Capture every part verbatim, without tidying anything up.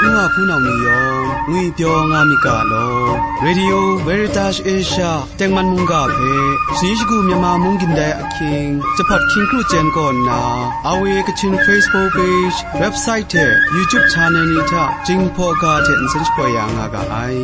Nu wa hpunau ni yawng ngwipyaw nga myit ga law. Radio Veritas Asia tengman mungga hpe, shani shagu Myanmar mung gindai ahkying, Jahpawt hkying kru chyen kaw nna, R V A Kachin Facebook page, website hte YouTube channel ni hta Jinghpaw ga hte nsen shapoi ya nga ga ai.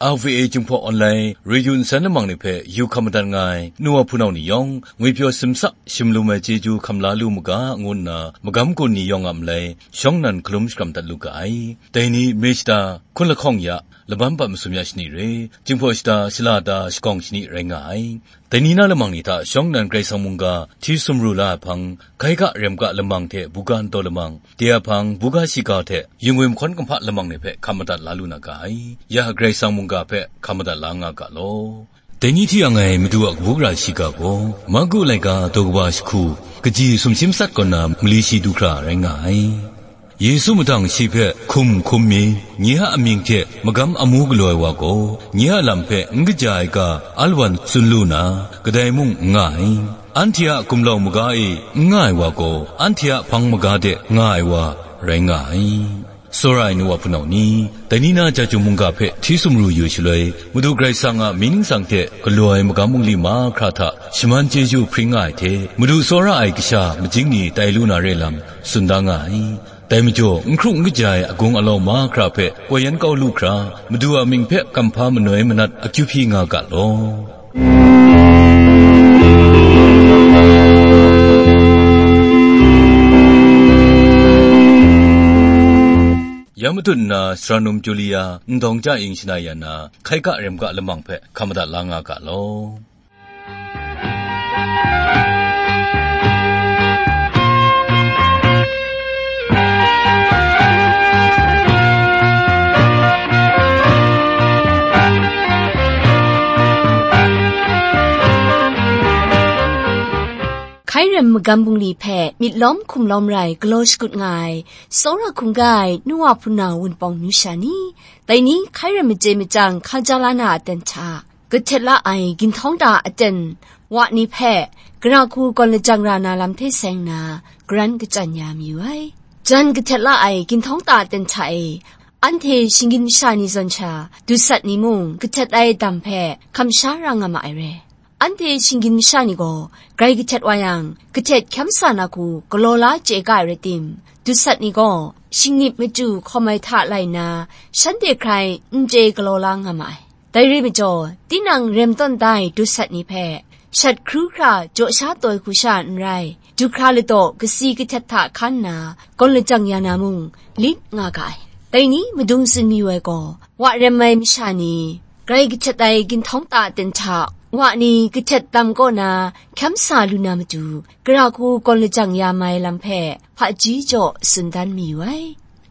R V A Jinghpaw Online Radio nsan lamang ni hpe yu hkam madat nga ai nu wa hpunau ni yawng, ngwipyaw simsa shim lu ai chyeju hkam la lu mu ga, ngu nna magam gun ni yawng a malai shawng nnan hkalum shakram dat lu ga ai. Dai ni, mare shata, hkun lahkawng ya, laban pat masum ya shani re, Jinghpaw shata, shala ta, shagawng shani rai nga ai. Dai ni na lamang ni hta shawng nnan Karai Kasang mungga hti sumru la ai hpang, hkai ga rem ga lamang hte buga ntaw lamang, de a hpang, buga shiga hte yingwim hkawn kumhpa lamang ni hpe hkam madat la lu na ga ai. Ya Karai Kasang mungga hpe hkam madat la nga ga law. Dai ni hti yang ai Madu a kabu gara shiga gaw, Marku laika daw kaba jahku, kaji sumshi matsat kaw na mali shi du hkra rai nga ai. Yesu mahtang shi hpe hkum hkum mi, nye a amying hte magam amu galaw ai wa gaw, nye a lam hpe n kaja ai ga alawan tsun lu na, kadai mung n nga ai. Anhte a gumlau maga e n nga ai wa gaw, anhte a hpang maga de nga ai wa rai nga ai. Tsawra ai nu wa hpunau ni, dai ni na Jahtum mungga hpe hti sumru yu shaloi, Madu Karai Kasang a mying ningsang hte galaw ai magam bungli mahkra hta shaman chyeju hpring nga ai hte, Madu tsawra ai kasha majing ni tai lu na re lam tsun da nga ai. Dai majaw, n hkru n kaja ai agung alau mahkra hpe koi yan kau lu hkra, Madu a mying hpe kamhpa manoi manat akyu hpyi nga ga law. Ya matut nna, sara num Julia, ndawng ja ing shana ya na, hkai ga rem ga lamang hpe hkam madat la nga ga law. Hkai rem magam bungli hpe myit lawm hkum lawm rai galaw shakut nga ai, tsawra hkungga ai nu wa hpuna wunpawng nu sha ni, dai ni hkai rem machye machyang hkaja la na aten hta, kahtet la ai ginhtawng ta aten wa ni hpe, gara hku gawn lajang ra na lam hte seng nna, garan kachyan ya mayu ai. Jan kahtet la ai ginhtawng ta aten hta e, anhte shinggyim masha ni zawn sha, dusat ni mung kahtet ai dam hpe hkam sha ra nga ma ai re. Anhte shinggyim masha ni gaw, grai kahtet wa yang, kahtet hkyam sa na hku galaw la chye ga ai rai tim, dusat ni gaw, shingnip machyu hkawm ai hta lai nna, shanhte hkrai n chye galaw la nga ma ai. Dai re majaw, tinang rem tawn da ai dusat ni hpe, shat hkru hkra jaw sha taw ai hku sha n rai, du hkra ladaw kasi kahtet hta hkan nna, gawn lajang ya na mung, lit nga ga ai. Dai ni madung tsun mayu ai gaw, wa rem ai masha ni, grai kahtet ai ginhtawng ta aten hta, wa ni kahtet dam kaw na hkyam sa lu na matu, gara hku gawn lajang ya mai lam hpe, hpaji jaw tsun dan mayu ai.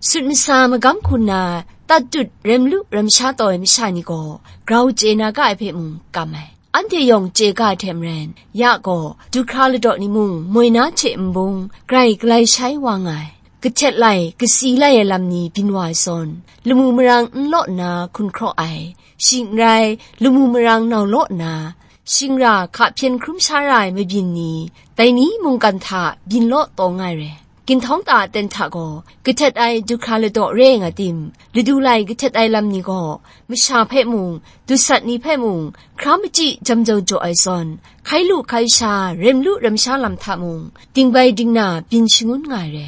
Sut masa magam hku nna, tat tut rem lu rem sha taw ai masha ni gaw, grau chye na ga ai hpe mung kam ai. Anhte yawng chye ga ai hte maren, ya gaw, du hkra ladaw ni mung moi na hte nbung, grai galai shai wa nga ai. Kahtet lai, kasi lai ai lam ni byin wa ai zawn, lamu marang n law nna hkun hkraw ai, shing n rai, lamu marang nau law nna, shingra hka hpyen hkrum sha ra ai mabyin ni, dai ni mungkan hta byin law taw nga ai re. Ginhtawng ta aten hta gaw, kahtet ai du hkra ladaw re nga tim, ladu lai kahtet ai lam ni gaw, masha hpe mung, dusat ni hpe mung, hkra machyi jam jau jaw ai zawn, hkai lu hkai sha, rem lu rem sha lam hta mung, dingbai dingna byin shangun nga ai re.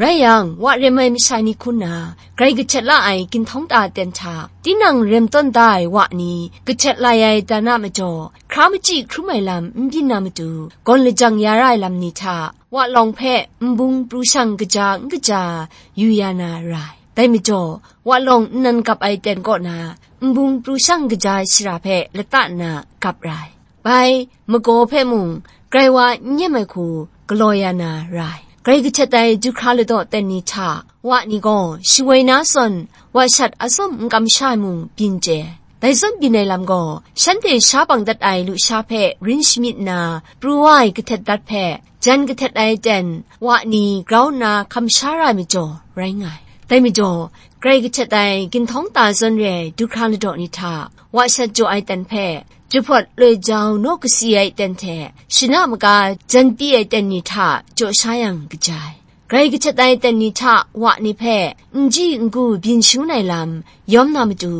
Rai yang, wa rem ai masha ni hku nna, grai kahtet la ai ginhtawng ta aten hta, tinang rem tawn da ai wa ni, kahtet lai ai dan a majaw, hkra machyi hkrum ai lam n byin na matu, gawn lajang ya ra ai lam ni hta, wa lawng hpe nbung pru shang kaja n kaja yu ya na ra ai. Dai majaw, wa lawng nnan gap ai ten kaw na, nbung pru shang kaja ai shara hpe lata nna gap ra ai. Bai, magaw hpe mung, grai wa n nyem ai hku galaw ya na ra ai. Grai kahtet ai du hkra ladaw ten ni hta, wa ni gaw shawoi na zawn, wa shat atsawm n kamsha ai mung byin chye ai. Dai zawn byin ai lam gaw, shanhte sha bang dat ai lusha hpe rin shamyit nna, pru wa ai kahtet dat hpe, jan kahtet ai ten, wa ni grau nna hkam sha ra ai majaw, rai nga ai. Dai majaw, grai kahtet ai ginhtawng ta zawn re ai du hkra ladaw ni hta, wa shat jaw ai ten hpe, jahpawt loi jau naw kasi ai ten hte, shana maga jan pyi ai ten ni hta jaw sha yang kaja ai. Grai kahtet ai ten ni hta wa ni hpe n ji n gu byin shangun ai lam yawm na matu,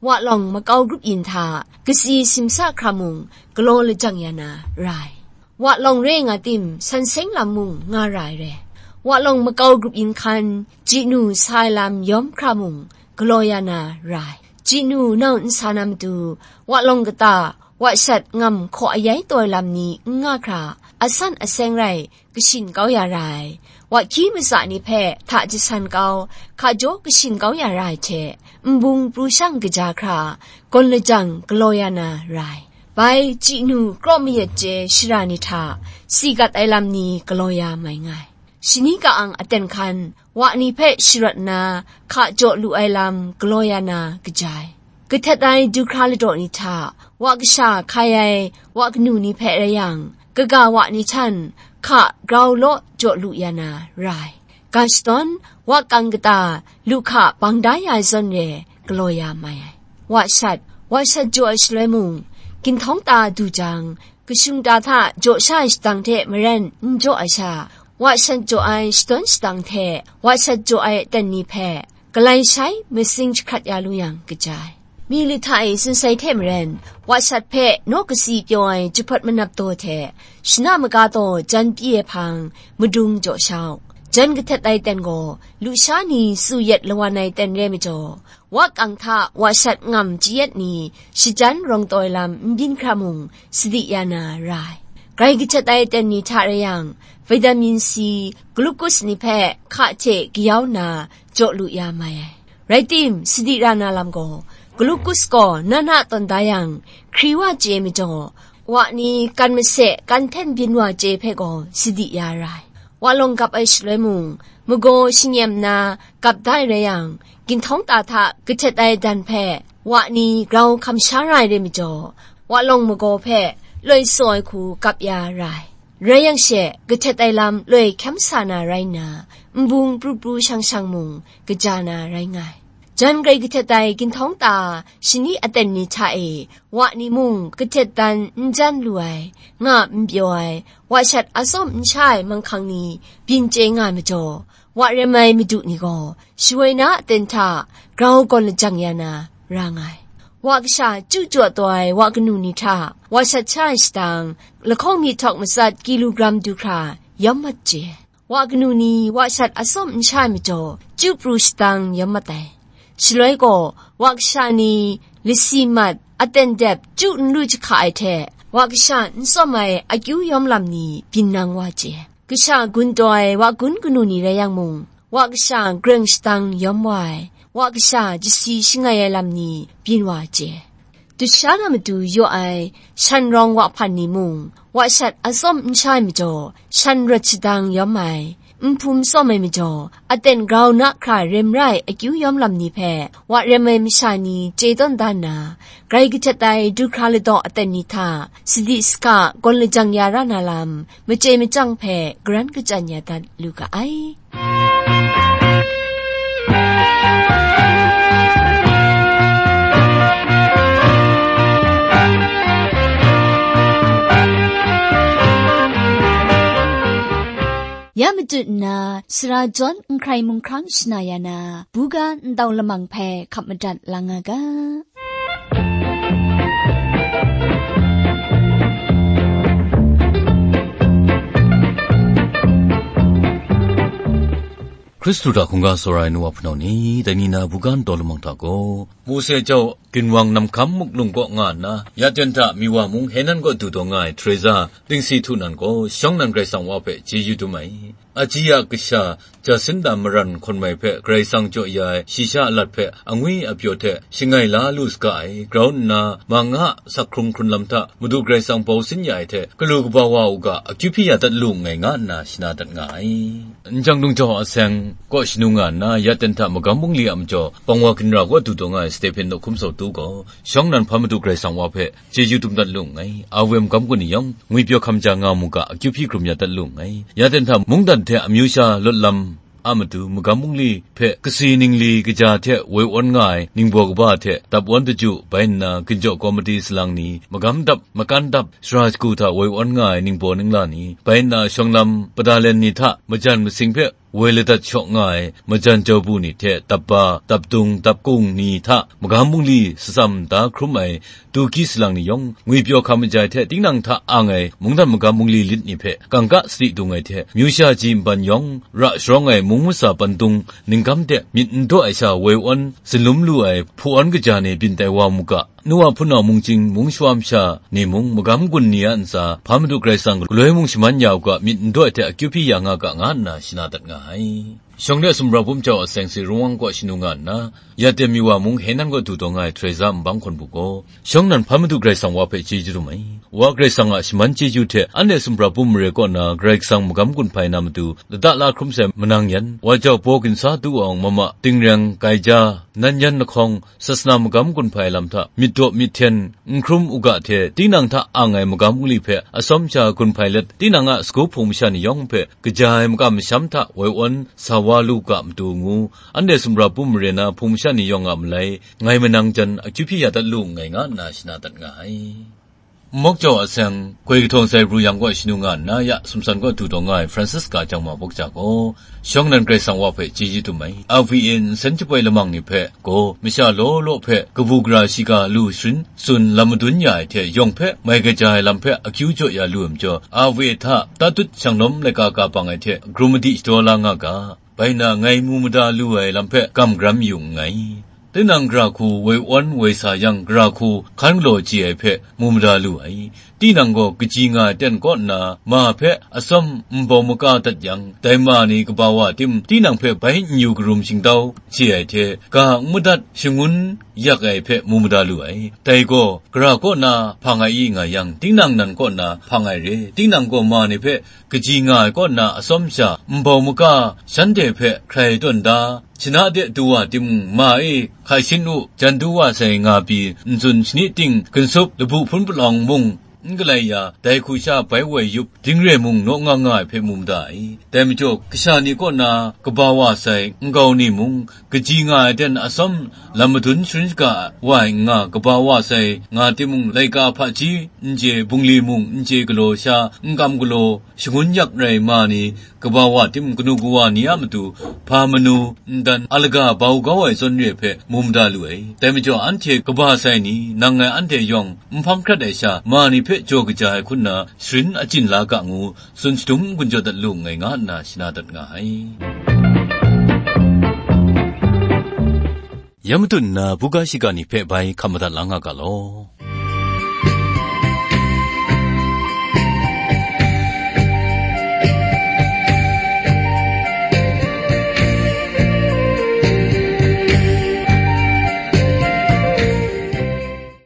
wa lawng makau grup yin hta kasi simsa hkra mung galaw lajang ya na ra ai. Wa lawng re nga tim, san seng lam mung nga ra ai re. Wa lawng makau grup yin hkan, ji nu sa ai lam yawm hkra mung galaw ya na ra ai. Ji nu nau n sa na matu, wa lawng kata, wa shat ngam hkaw ayai taw ai lam ni n nga hkra, asan aseng rai kashin kau ya ra ai. Wa hkyi matsa ni hpe hta jasan kau, hka jaw kashin kau ya ra ai hte, nbung pru shang kaja hkra, gawn lajang galaw ya na ra ai. Bai, ji nu kraw mayat chye shara ni hta, si gat ai lam ni galaw ya mai nga ai. Shani ka-ang aten hkan, wa ni hpe sharawt nna, hka jaw lu ai lam galaw ya na kaja ai. Kahtet ai du hkra ladaw ni hta, wa kasha hkai ai wa kanu ni hpe rai yang, kaga wa ni htan hka grau law jaw lu ya na ra ai. Ga shadawn, wa kang kata, lu hka bang da ya ai zawn re, galaw ya mai ai. Wa shat, wa shat jaw ai shaloi mung, ginhtawng ta du jang, kashung ta hta jaw sha ai shadang hte maren n jaw ai sha, wa shat jaw ai shadawn shadang hte wa shat jaw ai aten ni hpe, galai shai masing jahkrat ya lu yang kaja ai. Mi lit hta e sunsai hte maren, wa shat hpe naw kasi pyaw ai jahpawt manap daw hte, shana maga daw jan pyi ai hpang, madung jaw sha u. Jan kahtet ai ten gaw, lusha ni tsu yet lawan ai ten re majaw, wa kang hta wa shat ngam chye yet ni shajan rawng taw ai lam n byin hkra mung, sadi ya na ra ai. Grai kahtet ai ten ni hta rai yang, vitamin C, glucose ni hpe hka hte kayau nna jaw lu ya mai ai. Rai tim, sadi ra na lam gaw, glucose gaw na na tawn da yang, hkri wa chye majaw, wa ni kan mase, kan hten byin wa chye hpe gaw sadi ya ra ai. Wa lawng gap ai shaloi mung, magaw shingem nna gap da ai rai yang, ginhtawng ta hta kahtet ai dan hpe wa ni grau hkam sha ra ai re majaw, wa lawng magaw hpe loi saw ai hku gap ya ra ai. Rai yang she, kahtet ai lam loi hkyam sa na rai nna, nbung pru pru shang shang mung kaja na rai nga ai. Jan grai kahtet ai ginhtawng ta shani aten ni hta e, wa ni mung kahtet dan n jan lu ai, nga n pyaw ai, wa shat atsawm n sha ai manghkang ni byin chye nga ai majaw, wa rem ai madu ni gaw shawoi na aten hta grau gawn lajang ya na ra nga ai. Wa kasha chyu jaw taw ai wa kanu ni hta, wa shat sha ai shadang, lahkawng myihtawk matsat kilogram du hkra yawm mat chye. Wa kanu ni wa shat atsawm n sha ai majaw, chyu pru shadang yawm mat ai. Shaloi gaw, wa kasha ni lasi mat, aten dep, chyu n lu jahka ai hte, wa kasha n tsawm ai akyu yawm lam ni byin nang wa chye. Kasha gun taw ai wa gun kanu ni rai yang mung, wa kasha greng shadang yawm wa ai, wa kasha jasi shangai ai lam ni byin wa chye. Dusha na matu yaw ai shan rawng wa hpan ni mung, wa shat atsawm n sha ai majaw, shan rawt shadang yawm ai, nhpum tsawm ai majaw, aten grau na hkra rem rai akyu yawm lam ni hpe, wa rem ai masha ni chye tawn da nna, grai kahtet ai du hkra ladaw aten ni hta, sadi saka gawn lajang ya ra na lam, machye machyang hpe garan kachyan ya dat lu ga ai. Ya matut nna, sara jawn n hkrai mung hkrang shana ya na, buga ndau lamang hpe hkap madat la nga ga. Hkristu hta hkungga tsawra ai nu wa hpunau ni, dai ni na buga ndau lamang hta gaw, Mose jau ginwang namhkam muklung kaw nga nna, ya ten hta Miwa mung Henan kaw du taw nga ai Teresa Dingsi Htu nan gaw, shawng nan Karai Kasang wa hpe chyeju dum ai. Aji a kasha, Jacinta Maran hkawn mai hpe Karai Kasang jaw ya ai shayi sha alat hpe angwi apyaw hte shangai la lu saga ai, grau nna, ma nga sak hkrung hkrun lam hta Madu Karai Kasang bau sin ya ai hte, galu kaba wa u ga, akyu hpyi ya dat lu nngai, nga nna shana dat nga ai. N jang lung jau a seng kaw shanu nga nna, ya ten hta magam bungli a majaw, Bangwa ginra kaw du taw nga ai Stephen nawk hkum sawtu gaw, shawng nan hpa Madu Karai Kasang wa hpe chyeju dum dat lu nngai. Awe magam kaw ni yawng, ngwipyaw hkam ja nga mu ga, akyu hpyi hkrum ya dat lu nngai. Ya ten hta mungdan hte amyu sha lawt lam a matu magam bungli hpe kasi ningli kaja hte woi awn nga ai ningbaw kaba hte dap awn daju bai nna, ginjaw kawmiti salang ni, magam dap, makan dap, sara shagu hta woi awn nga ai ningbaw ningla ni, bai nna shawng lam padalen ni hta majan masing hpe woi ladat shawk nga ai majan jau bu ni hte dap ba, dap dung, dap kung ni hta magam bungli satsam da hkrum ai Tuki salang ni yawng, ngwipyaw hkam majai hte tinang hta ang ai mungdan magam bungli lit ni hpe kangka sadi dung ai hte, myu sha ji nban yawng ra sharawng ai mung masa pandung ningkam de myit n daw ai sha woi awn, sinlum lu ai hpu awn kaja ni byin tai wa mu ga, nu wa hpunau mungchying mung shawa masha ni mung magam gun ni a ntsa, hpa Madu Karai Kasang galoi mung shaman ya u ga, myit n daw ai hte akyu hpyi ya nga ga, nga nna shana dat nga ai. Shawng de sumra bum jau a seng si rungwang kaw shanu nga nna, ya temi wa mung Henan kaw du taw nga ai Teresa nbang hkawn bu gaw, shawng nan hpa Madu Karai Kasang wa hpe chyeju dum ai. Wa Karai Kasang a shaman chyeju hte anhte sumra bum mare kaw na Karai Kasang magam gun hpai na matu, lada la hkrum sai manang yan, wa jau baw ginsa du awng mama, tingreng, gaija, nan yan lahkawng, sasana magam gun hpai lam hta myit daw myit hten n hkrum u ga hte, tinang hta ang ai magam bungli hpe atsawm sha gun hpai let, tinang a sagu hpung masha ni yawng hpe kaja ai makam masham hta woi awn sa wa lu ga matu ngu, anhte sumra bum mare na hpung masha ni yawng a malai, ngai manang jan akyu hpyi ya dat lu nngai, nga nna shana dat nga ai. Mawk jau a seng, goi kahtawng sai pru yang kaw shanu nga nna, ya sumsan kaw du taw nga ai Francisca Jangma Bawk Ja gaw, shawng nan Karai Kasang wa hpe chyeju dum ai. R V A nsen jaboi lamang ni hpe gaw, masha law law hpe kabu gara shiga lu sharin tsun lam madun ya ai hte, yawng hpe mai kaja ai lam hpe akyu jaw ya lu ai majaw, R V A hta tatut shanglawm laika ka bang ai hte, grum madi shadaw la nga ga. Bai nna ngai mu mada lu ai lam hpe gam garam yu nngai. Tinang gara hku woi awn woi sa yang, gara hku hkan galaw chye ai hpe mu mada lu ai. Tinang gaw kaji nga ai ten kaw nna, ma hpe atsawm nbau maka dat yang, dai ma ni kaba wa tim, tinang hpe bai n yu karum shingtau chye ai hte, ga n madat shangun yak ai hpe mu mada lu ai. Dai gaw, gara kaw na hpang ai i nga yang, tinang nan kaw na hpang ai re. Tinang gaw ma ni hpe kaji nga ai kaw na atsawm sha, nbau maka shanhte hpe hkrai tawn da, shana de du wa timung, ma e hkai shin u, jan du wa sai nga pyi, n tsun shani ting, ginsup, labu hpun palawng mung, n galai ya, dai hku sha bai woi yup, dingre mung naw nga nga ai hpe mu mada ai. Dai majaw, kasha ni kaw na kaba wa sai nkau ni mung, kaji nga ai ten atsawm lam madun sharin shaga wa ai n nga, kaba wa sai nga timung, laika hpaji n chye, bungli mung n chye galaw sha, n kam galaw, shangun yak rai ma ni, kaba wa tim kanu kawa ni a matu, hpa manu, ndan alaga bau kau ai zawn re hpe mu mada lu ai. Dai majaw, anhte kaba sai ni, nang ngai anhte yawng n hpang hkrat ai sha, ma ni hpe jaw kaja ai hku nna, sharin achyin la ga ngu, tsun shadum n-gun jaw dat lu nngai, nga nna shana dat nga ai. Ya matut nna, buga shiga ni hpe bai hkap madat la nga ga law.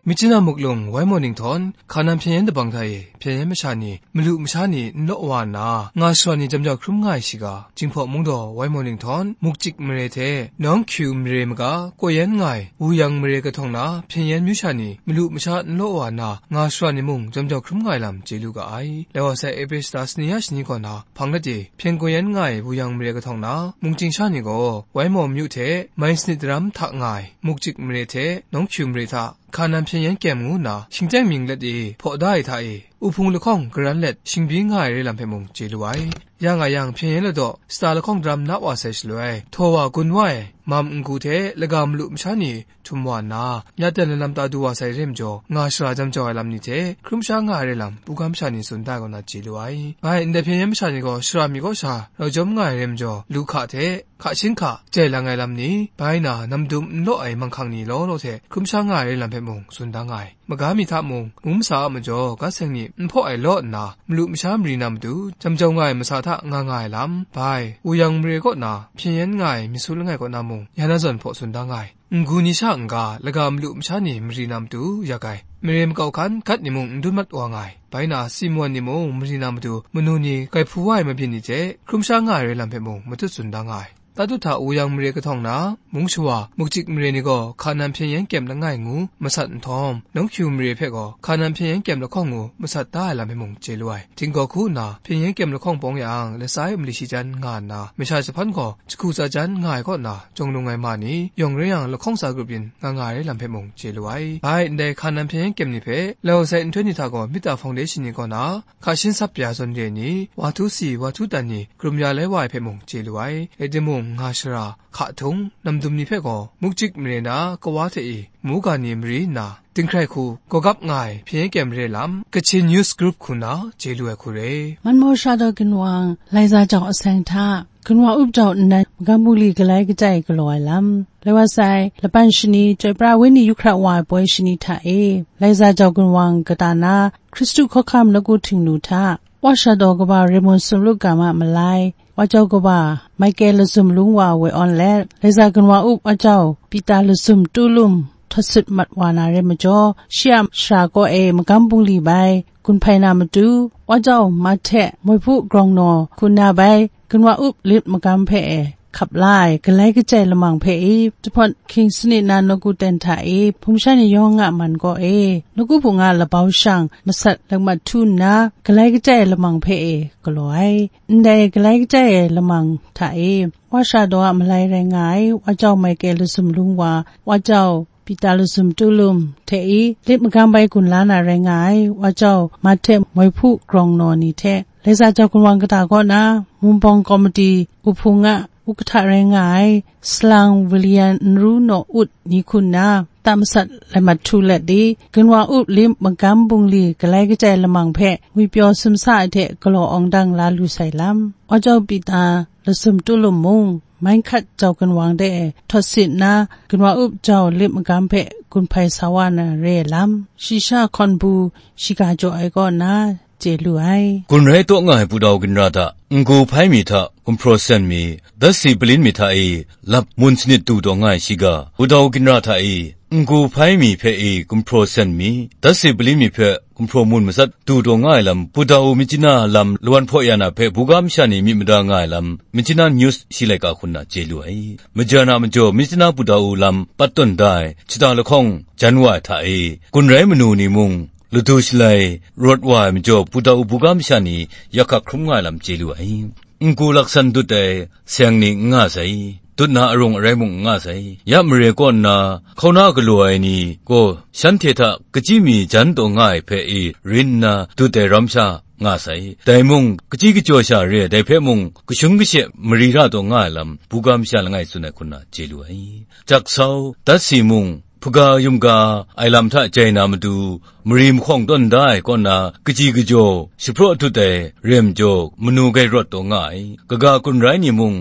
Myitkyina Muklung, Waimaw Ninghtawng, Hkanan Hpyen Yen Dabang hta e, Hpyen Yen masha ni, malu masha ni n law wa nna, nga shara ni jam jau hkrum nga ai shiga, Jinghpaw Mungdaw, Waimaw Ninghtawng, Mukjik mare hte, Nawng Hkyu mare maga, Kaw Yan nga ai, Wuyang mare kahtawng na, Hpyen Yen myu sha ni, malu masha n law wa nna, nga shara ni mung jam jau hkrum nga ai lam chye lu ga ai. Lai wa sai, Eprel shata sani ya shani kaw na, hpang dat e, Hpyen Kaw Yan nga ai, Wuyang mare kahtawng na, mungchying sha ni gaw, Waimaw myu hte, mai sanit daram hta nga ai, Mukjik mare hte, Nawng Hkyu mare hta, Hkanan Hpyen Yen Kyem ngu nna, shingteng mying let e hpaw da ai hta e, u hpung lahkawng garan let shingbyi nga ai re lam hpe mung chye lu ai. Ya nga yang, Hpyen Yen ladaw sata lahkawng daram na wa sai shaloi, htaw wa gun wa ai, mam n-gu hte laga malu masha ni htum wa nna, ya ten lalam ta du wa sai re majaw, nga shara jam jau ai lam ni hte hkrum sha nga ai re lam, buga masha ni tsun da ai kaw na chye lu ai. Bai, ndai Hpyen Yen masha ni gaw shara mi kaw sha rau jawm nga ai re majaw, lu hka hte, hka shin hka, jai lang ai lam ni, bai na, nam dum n law ai manghkang ni law law hte hkrum sha nga ai re lam hpe mung tsun da nga ai. Maga mi hta mung, mung masa a majaw, ga seng ni n hpaw ai law nna, malu masha mari na matu, jam jau nga ai masa hta nga nga ai lam, bai, Wuyang mare kaw na, Hpyen Yen nga ai, Myit Su langai kaw na mung, ya na zawn hpaw tsun da nga ai. N-gu ni sha n-ga, laga malu masha ni mari na matu, yak ai, mare makau hkan gat ni mung n dun mat wa nga ai. Bai na, Simon ni mung mari na matu, manu ni grai hpu wa ai mabyin ni hte, hkrum sha nga ai re lam hpe mung, matut tsun da nga ai. Tatuhta wuyang mare kahtawng na, mung shawa, mukchik mare ni gaw Hkanan hpyen yen kyem langai ngu masat nhtawm, nawng hkyu mare hpe gaw Hkanan hpyen yen kyem lahkawng ngu masat da ai lam hpe mung chye lu ai. Htinggaw hku nna hpyen yen kyem lahkawng pawng yang, latsa e mali shi jan nga nna, masha jahpan gaw jahku tsa jan nga ai kaw na, jawng lung ai ma ni, yawng rai yang lahkawng tsa grup yin nga nga ai lam hpe mung chye lu ai. Bai, ndai Hkanan hpyen yen kyem ni hpe, lau sai nhtoi ni hta gaw Mita Foundation ni kaw na, hka shin sap ya zawn re ai ni, wa htu si, wa htu dan ni, krum ya lai wa ai hpe mung chye lu ai. Rai timung, nga shara, hka htung, namdum ni hpe gaw, mukchik mare na, kawa hte e, muga ni mari nna, dinghkrai hku, gawgap nga ai, hpyen yen kyem re lam, Kachin News Group hku nna, chye lu ai hku re. Manmaw Sha Daw Ginwang, Laiza Jau Aseng hta, Ginwa Up Jau Nnan, Magam Bungli Galai Kachai Galaw Ai Lam. Lai wa sai, Laban Shani, Chyoi Pra Wenyi Yu Hkra Wa Ai Poi Shani hta e, Laiza Jau Ginwang kata na, Hkristu Hkawhkam Nawku Htingnu hta, Wa Sha Daw Kaba Raymond Sumlu Gama Malai, Wa Jau Kaba Michael Lazum Lung Wa Woi Awn let, Laiza Ginwa Up Wa Jau Pita Lazum Tu Lum Htawt Sit Mat Wa Na Re Majaw, shi a shara kaw e Magam Bungli bai gun hpai na matu, Wa Jau Mahte Moi Hpu Grawng Naw hku nna bai Ginwa Up Lit Magam hpe e hkap la ai Galai Kachai Lamang hpe e, Jahpawt Hking Sanit Na Nawku Ten hta e, hpung sha ni yawng a man kaw e, Nawku Hpung a Labau Shang masat lakmat htu nna, Galai Kachai Lamang hpe e galaw ai. Ndai Galai Kachai Lamang hta e, Wa Sha Daw a malai rai nga ai, Wa Jau Michael Lazum Lung Wa, Wa Jau Pita Lazum Tu Lum hte e, Lit Magam bai gun la na rai nga ai, Wa Jau Mahte Moi Hpu Grawng Naw ni hte, Laiza Jau Ginwang kata kaw na, Mungpawng Komiti Uhpung a Uhkata rai nga ai, Salang William Nru Naw Ut ni hku nna, ta masat lai mat htu let di, Ginwa Up Lit Magam Bungli Galai Kachai Lamang hpe ngwi pyaw sumsa ai hte galaw awng dang la lu sai lam, Wa Jau Pita Lazum Tu Lum mung, Mai Hkat Jau Ginwang de e htawt sit nna, Ginwa Up Jau Lit Magam hpe gun hpai sa wa na re ai lam, shi sha hkawn bu shiga jaw ai kaw nna, chye lu ai. Gun rai taw nga ai Pu Daw ginra hta, n-gu hpai mi hta gumhpraw sen mi, datsi palin mi hta e lap mun sanit du taw nga ai shiga, Pu Daw ginra hta e n-gu hpai mi hpe e gumhpraw sen mi, datsi palin mi hpe gumhpraw mun masat du taw nga ai lam, Pu Daw Myitkyina lam lawan hpaw ya na hpe buga masha ni myit mada nga ai lam, Myitkyina News shi laika hku nna chye lu ai. Majan a majaw Myitkyina Pu Daw lam pat tawn da ai shata lahkawng jan wa ai hta e, gun rai manu ni mung, ladu shalai rawt wa ai majaw, Pu Daw buga masha ni yak hkak hkrum nga ai lam chye lu ai. N-gu laksan dut ai seng ni n nga sai, dut na arung arai mung n nga sai. Ya mare kaw nna, hkauna galaw ai ni gaw shanhte hta kachyi mi jan taw nga ai hpe e rin nna dut ai ram sha nga sai. Dai mung, kachyi kachyaw sha re ai, dai hpe mung, kashun kashe mari ra taw nga ai lam, buga masha langai tsun ai hku nna chye lu ai. Jaksau, datsi mung, hpaga yumga ai lam hta jai na matu, mari mahkawng tawn da ai kaw na, kaji kajaw, shapraw dut ai, rem jaw, manu gai rawt taw nga ai, kaga kun rai ni mung,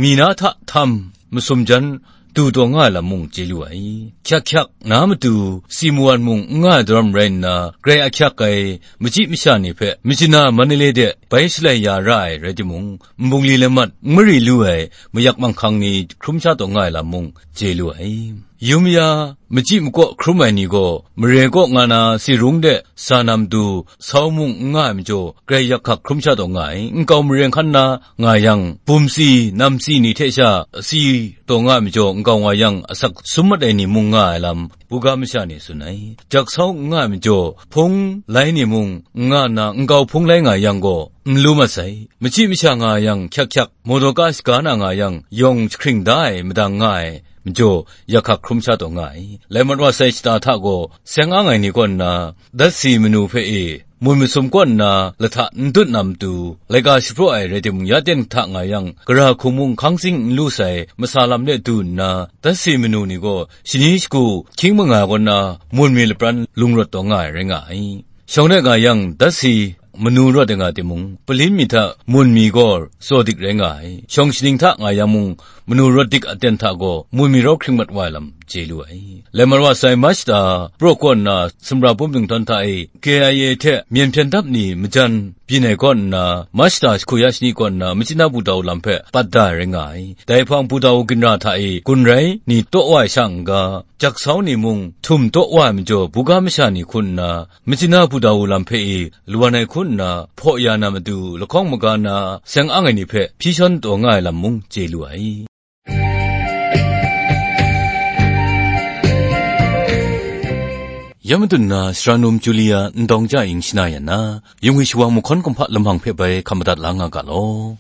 mi na hta htam, masum jan, du taw nga ai lam mung chye lu ai. Hkyak hkyak na matu, si mawan mung n nga ai daram rai nna, grai ahkyak ai, machyi masha ni hpe, Myitkyina Mandalay de bai shalai ya ra ai rai timung, nbungli lamat n mari lu ai, mayak manghkang ni hkrum sha taw nga ai lam mung chye lu ai. Yum ya, machyi makaw hkrum ai ni gaw, mare kaw nga na si rung de sa na matu, sau mung n nga ai majaw, grai yak hkak hkrum sha taw nga ai. Nkau mare hkan na nga yang, bum si, nam si ni hte sha si taw nga ai majaw, nkau nga yang, asak sum mat ai ni mung nga ai lam, buga masha ni tsun ai. Jaksau n nga ai majaw, hpung lai ni mung n nga nna, nkau hpung lai nga yang gaw, n lu mat sai. Machyi masha nga yang, hkyak hkyak, motoka shaga na nga yang, yawng jahkring da ai, madang nga ai, majaw, yak hkak hkrum sha taw nga ai. Lai mat wa sai shata hta gaw, seng ang ai ni kaw nna, datsi manu hpe e, mun masum kaw nna, lahta n dut na matu, laika shapraw ai rai timung, ya ten hta nga yang, gara hku mung hkang tsing n lu sai, masa lam de du nna, datsi manu ni gaw, shani shagu hkying manga kaw nna, mun mi lapran lung rawt taw nga ai rai nga ai. Shawng de nga yang, datsi manu rawt ai nga timung, palin mi hta mun mi gaw tsaw dik rai nga ai. Shawng shaning hta nga yang mung, manu rawt dik aten hta gaw, mun mi rau hkring mat wa ai lam chye lu ai. Lai mat wa sai March shata, praw kaw nna, sumra bum dingtawn hta e, K I A hte myen hpyen dap ni majan byin ai kaw nna, March shata jahku ya shani kaw nna, Myitkyina Pu Daw lam hpe pat da ai rai nga ai. Dai hpang Pu Daw ginra hta e, gun rai ni taw wa ai sha n-ga, jaksau ni mung htum taw wa ai majaw, buga masha ni hku nna, Myitkyina Pu Daw lam hpe e, lawan ai hku nna, hpaw ya na matu, lahkawng maga na, seng ang ai ni hpe hpyi shawn taw nga ai lam mung chye lu ai. Dai madun na, sara num Julia Ndawng Ja Ing shana yan na, yungwi shawang mahkawn kumhpa lamang hpe bai hkap madat la nga ga law.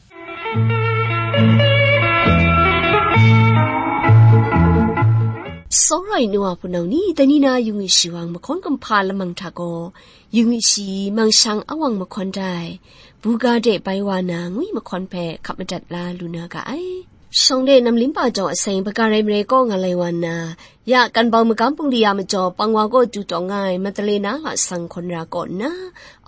Tsawra ai nu wa hpunau ni, dai ni na yungwi shawang mahkawn kumhpa lamang hta gaw, yungwi shi mangshang awang mahkawn dai, buga de bai wa na ngwi mahkawn hpe hkap madat la lu na ga ai. Shawng de namlim pa jaw aseng, baga rai marai kaw nga lai wa nna, ya kan bau magam bungli a majaw pang wa kaw du taw nga ai Madalena lasang hkawn ra kaw nna,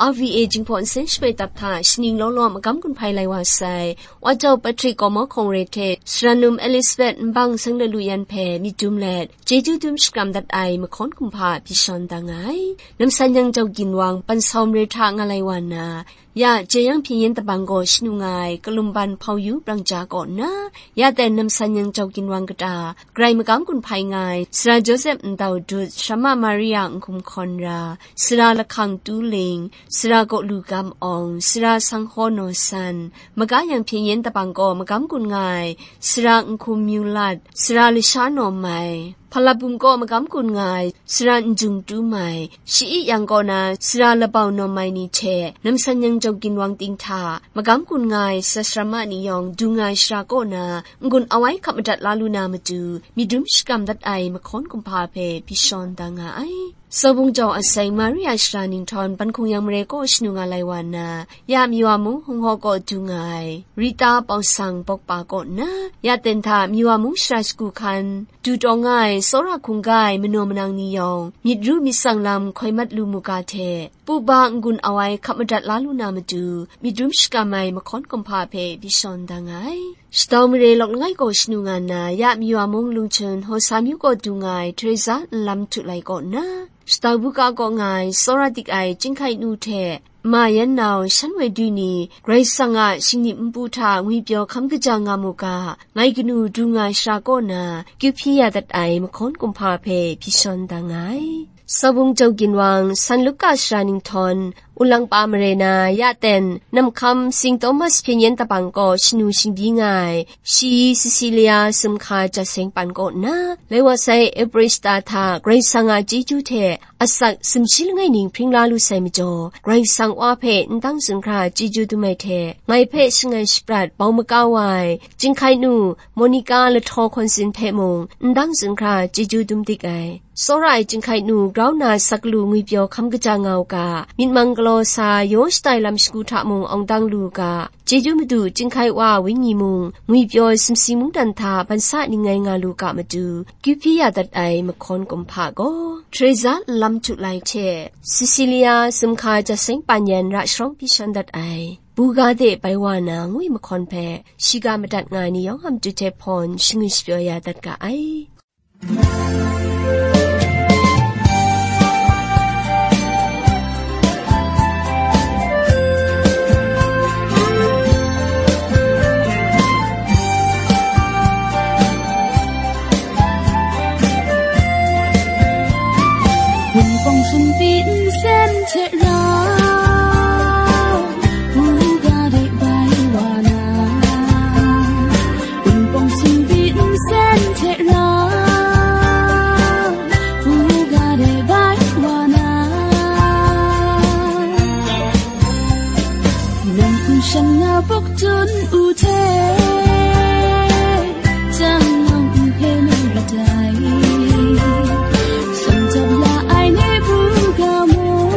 R V A Jinghpaw Nsen Shamai Tap hta shaning law law magam gun hpai lai wa sai, Wa Jau Patrick Kawmawhkawng re hte sara num Elizabeth Nbang Seng Lalu Yan hpe myit dum let, chyeju dum shakram dat ai mahkawn kumhpa hpyi shawn da nga ai. Namsan Yang Jau Ginwang Pansawm re hta nga lai wa nna, ya Jeyang Hpyen Yen Dabang gaw shanu nga ai Kalumban Hpau Yu Brang Ja kaw nna, ya ten Namsan Yang Jau Ginwang kata, Karai magam gun hpai nga ai, sara Joseph Ndau Dut, Sara Ma Maria Nhkum Hkawn Ra, sara Lahkang Tu Ling, sara Kaw Lu Gam Awng, sara Sanghkaw Naw San, maga Yang Hpyen Yen Dabang kaw magam gun nga ai, sara Nhkum Myu Lat, sara Lasha Naw Mai, Hpalabum kaw magam gun nga ai, sara Njung Tu Mai, Shi-i Yang kaw na sara Labau Naw Mai ni hte, Namsan Yang Jau Ginwang ting hta, magam gun nga ai sara sara ma ni yawng du nga ai shara kaw na, n-gun awai hkap madat la lu na matu, myit dum shakram dat ai mahkawn kumhpa hpe hpyi shawn da nga ai. Sawbung Jau aseng, Maria shara ninghtawn Ban Hkung Yang Mare kaw shanu nga lai wa nna, ya Miwa mung Hung Haw kaw du nga ai, Rita Pawsang Bawkpa kaw nna, ya ten hta Miwa mung shara shagu hkan, du taw nga ai tsawra hkungga ai manaw manang ni yawng, myit ru myit tsang lam hkoi mat lu mu ga hte, pu ba n-gun awai hkap madat la lu na matu, myit dum shakram ai mahkawn kumhpa hpe hpyi shawn da nga ai. Shadau mare lawk langai gaw shanu nga nna, ya Miwa mung Lungchun Hawsa myu gaw du nga ai Teresa Nlam Htu Lai kaw nna, shadau buga kaw nga ai tsawra dik ai Chyinghkai Nu hte, Ma Yan Nau, Shan Woi Du ni, Karai Kasang a shingnim npu hta ngwipyaw hkam kaja nga mu ga, ngai kanu du nga ai shara kaw na, kyu hpyi ya dat ai mahkawn kumhpa hpe hpyi shawn da nga ai. Sawbung Jau Ginwang, San Luka shara ninghtawn, Ulangpa mare na, ya ten, Namhkam Sing Thomas Hpyen Yen Dabang kaw shanu shingbyi nga ai, Shi Cecilia Sumhka Jaseng Pan kaw nna, lai wa sai April shata hta Karai Kasang a chyeju hte asak sumshi langai ning hpring la lu sai majaw, Karai Kasang Wa hpe n dang zunhkra chyeju dum ai hte, ngai hpe shangai shaprat bau makau wa ai, Chyinghkai Nu Monica Lahtaw Hkawn Sin hpe mung n dang zunhkra chyeju dum dik ai. Tsawra ai Chyinghkai Nu grau nna saklaw ngwipyaw hkam kaja nga u ga, myit mang galaw sa yaw shatai lam shagu hta mung awng dang lu u ga, Chyeju Madu Chyinghkai Wa Wenyi mung, ngwipyaw sumsing mungdan hta ban sa ning ngai nga lu ga matu, kyu hpyi ya dat ai mahkawn kumhpa gaw, Teresa Nlam Htu Lai hte Cecilia Sumhka Jaseng Pan Yan ra sharawng hpyi shawn dat ai, buga de bai wa na ngwi mahkawn hpe, shiga madat nga ai ni yawng a matu hte hpawn shangwi shapyaw ya dat ga ai. Wunpawng sumpi nsen hte rau, buga de bai wa na. Wunpawng sumpi nsen hte rau, buga de bai wa na. Nang hkum shan nga bawk tun u hte, jang yawng n hpe na ra dai. Sawm jap la ai ni buga mung,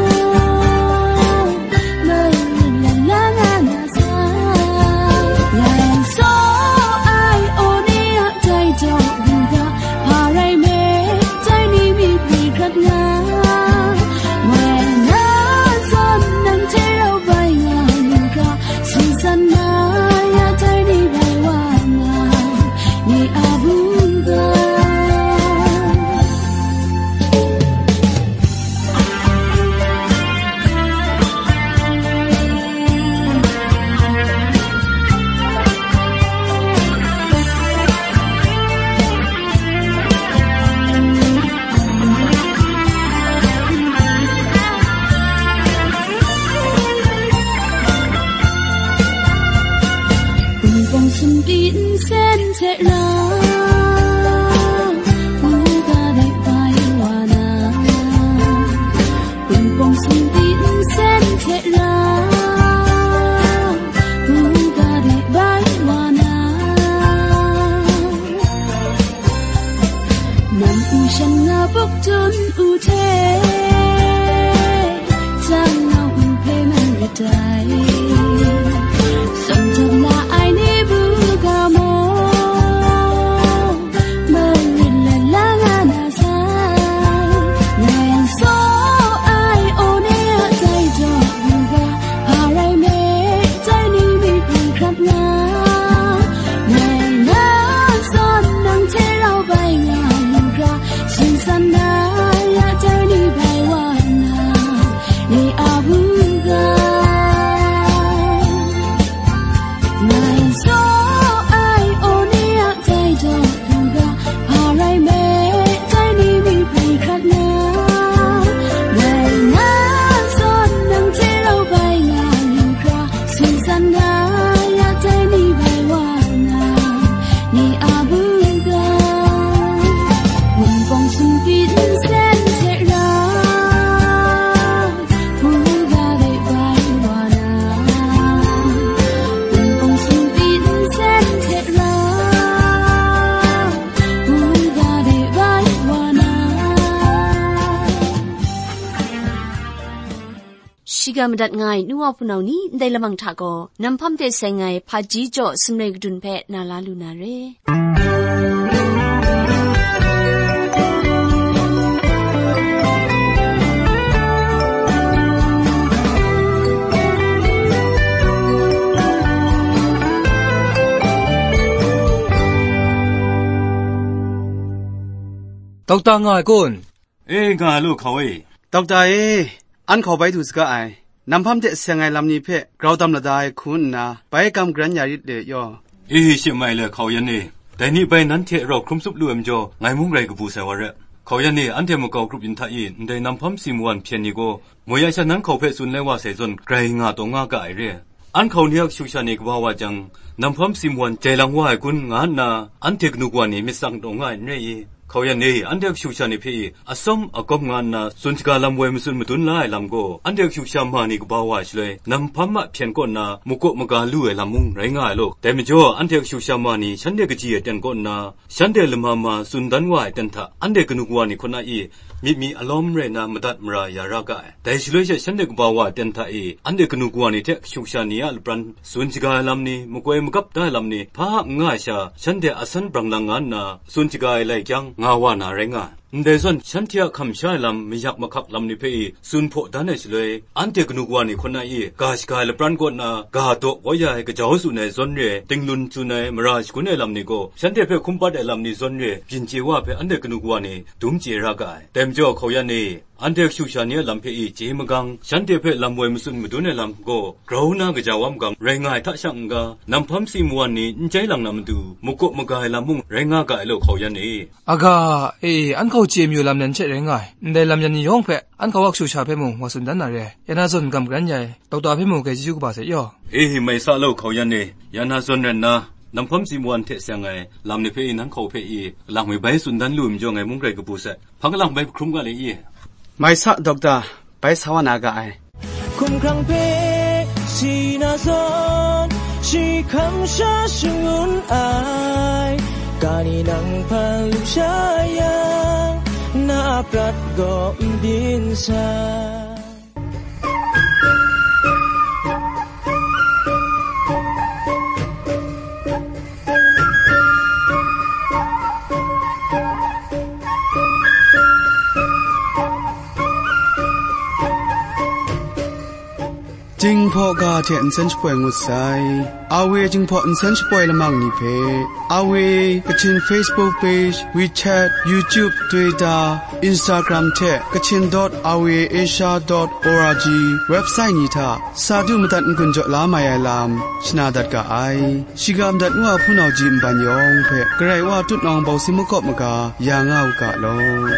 Hte, tsang nau n hpe man kadai, tsawm tawn la ai ni bu ga maw, marin la la nga na sai, ngai tsaw ai aw ni a tai daw yu ga, hpa rai me, tai ni mi hpung hkrat nga, ngai na zawn nang hte rau bai nga lu ga, singsan na ya tai ni bai wa na, ni a bu ga. Ngai tsaw ai aw ni a tai daw lu ga, hpa rai me, tai ni mi bai hkrat na, ngai na zawn nang hte rau bai nga lu ga, singsan na ya tai ni bai wa na, ni a bu ga. Wunpawng sumpi nsen hte rau, hpu ga de bai wa na, wunpawng sumpi nsen hte rau, hpu ga de bai wa na. Shiga madat nga ai nu wa hpunau ni, ndai lamang hta gaw, Nam Hpam de seng ai Hpaji Jaw Sumre Kadun hpe na la lu na re. Dokta nga ai kun? E, nga lu, hkau e. Dokta e, an hkau bai du saga ai. Nam Hpam de seng ai lam ni hpe grau tam lada ai hku nna, bai kam garan ya rit le yaw. E, shi mai le, hkau yan e. Dai ni bai nanhte rau hkrum tsup lu ai majaw, ngai mung rai kabu sai wa re. Hkau yan e, anhte makau grup yin hta i, ndai Nam Hpam si mawan hpyen ni gaw, moi ya sha nan hkau hpe tsun lai wa sai zawn, grai nga taw nga ga ai re. An hkau ni a kashu kasha ni kaba wa jang, Nam Hpam si mawan jai lang wa ai kun, nga nna, anhte kanu kawa ni myit tsang taw nga ai n rai i? Hkau yan e, anhte kashu kasha ni hpe i, atsawm agawm nga nna, tsun shaga lam woi matsun madun la ai lam gaw, anhte kashu kasha ma ni kaba wa shaloi, Nam Hpam a hpyen kaw nna, makaw maga lu ai lam mung rai nga ai law. Dai majaw, anhte kashu kasha ma ni shanhte kaji ai ten kaw nna, shanhte lama ma tsun dan wa ai ten hta, anhte kanu kawa ni hkun a i, myit mi alawm rai nna madat mara ya ra ga ai. Dai shaloi she shanhte kaba wa ai ten hta e, anhte kanu kawa ni hte kashu kasha ni a lapran tsun shaga ai lam ni, makoi magap da ai lam ni, hpa n nga ai sha, shanhte a san brang lang nga nna, tsun shaga ai lai chyang nga wa na rai nga ai. Ndai zawn, shanhte a hkam sha ai lam, mayak mahkak lam ni hpe e tsun hpaw dan ai shaloi, anhte kanu kawa ni hkun a i, ga shaga ai lapran kaw nna, ga daw kau ya ai, kajau tsun ai zawn re, tinglun tsun ai, mara shagun ai lam ni gaw, shanhte hpe hkum pat ai lam ni zawn re, byin chye wa hpe anhte kanu kawa ni dum chye ra ga ai. Dai majaw, hkau yan e, anhte kashu kasha ni a lam hpe i chye magang, shanhte hpe lam woi matsun madun ai lam gaw, grau na kaja wa magang rai nga ai hta shang n ga, Nam Hpam si mawan ni n jai lang na matu, makaw maga ai lam mung rai nga ga ai law, hkau yan e. Aga, e, an hkau chye mayu lam yan hte rai nga ai. Ndai lam yan ni yawng hpe, an hkau a kashu kasha hpe mung wa tsun dan na re. Ya na zawn gam garan ya ai, dokta hpe mung grai chyeju kaba sai yaw. E, mai sa law, hkau yan e. Ya na zawn rai nna, Nam Hpam si mawan hte seng ai lam ni hpe i, nan hkau hpe i, lang mi bai tsun dan lu ai majaw, ngai mung rai kabu sai. Hpang lang bai hkrum ga le i? Mai sa, dokta, bai sa wa na ga ai. Hkumhkrang hpe si na zawn, shi hkam sha shangun ai, ga ni nang hpan lu sha yang, na a prat gaw n byin sai. Jinghpaw ga hte nsen shapoi ngut sai. Awe Jinghpaw nsen shapoi lamang ni hpe, Awe Kachin Facebook page, WeChat, YouTube, Twitter, Instagram hte Kachin dot awe asia dot org website ni hta sa du madat n-gun jaw la mai ai lam shana dat ga ai. Shiga madat ngu a hpunau ji nban yawng hpe Karai Wa tutnawng bawsi makawp maga ya nga u ga law.